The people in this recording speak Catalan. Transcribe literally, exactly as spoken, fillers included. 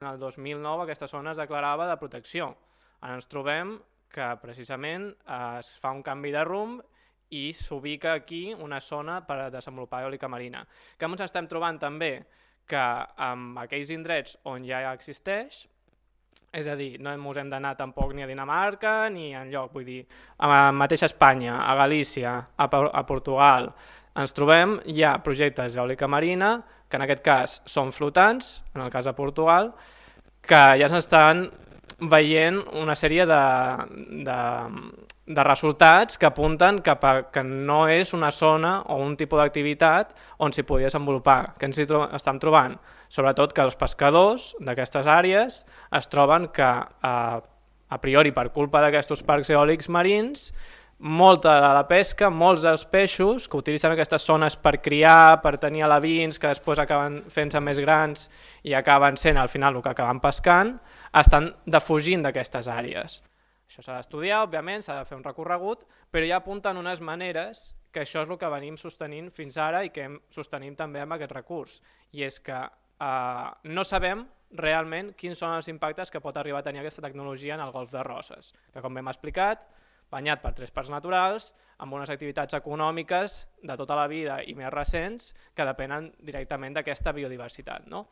en el dos mil nou aquesta zona es declarava de protecció. Ara ens trobem que precisament es fa un canvi de rumb i s'ubica aquí una zona per desenvolupar eòlica marina. Que ens estem trobant també que en aquells indrets on ja existeix, és a dir, no ens hem d'anar tampoc ni a Dinamarca ni enlloc, vull dir, a la mateixa Espanya, a Galícia, a, a Portugal, ens trobem ja projectes d'eòlica marina, que en aquest cas són flotants, en el cas de Portugal, que ja s'estan veient una sèrie de, de, de resultats que apunten cap a que no és una zona o un tipus d'activitat on s'hi podia desenvolupar. Què ens hi tro estem trobant? Sobretot que els pescadors d'aquestes àrees es troben que, a, a priori per culpa d'aquests parcs eòlics marins, molta de la pesca, molts dels peixos que utilitzen aquestes zones per criar, per tenir alevins que després acaben fent-se més grans i acaben sent al final el que acaben pescant, estan defugint d'aquestes àrees. Això s'ha d'estudiar, òbviament, s'ha de fer un recorregut, però ja apunten unes maneres que això és el que venim sostenint fins ara i que hem sostenim també amb aquest recurs. I és que eh, no sabem realment quins són els impactes que pot arribar a tenir aquesta tecnologia en el golf de Roses, que com hem explicat, banyat per tres parcs naturals, amb unes activitats econòmiques de tota la vida i més recents que depenen directament d'aquesta biodiversitat, no?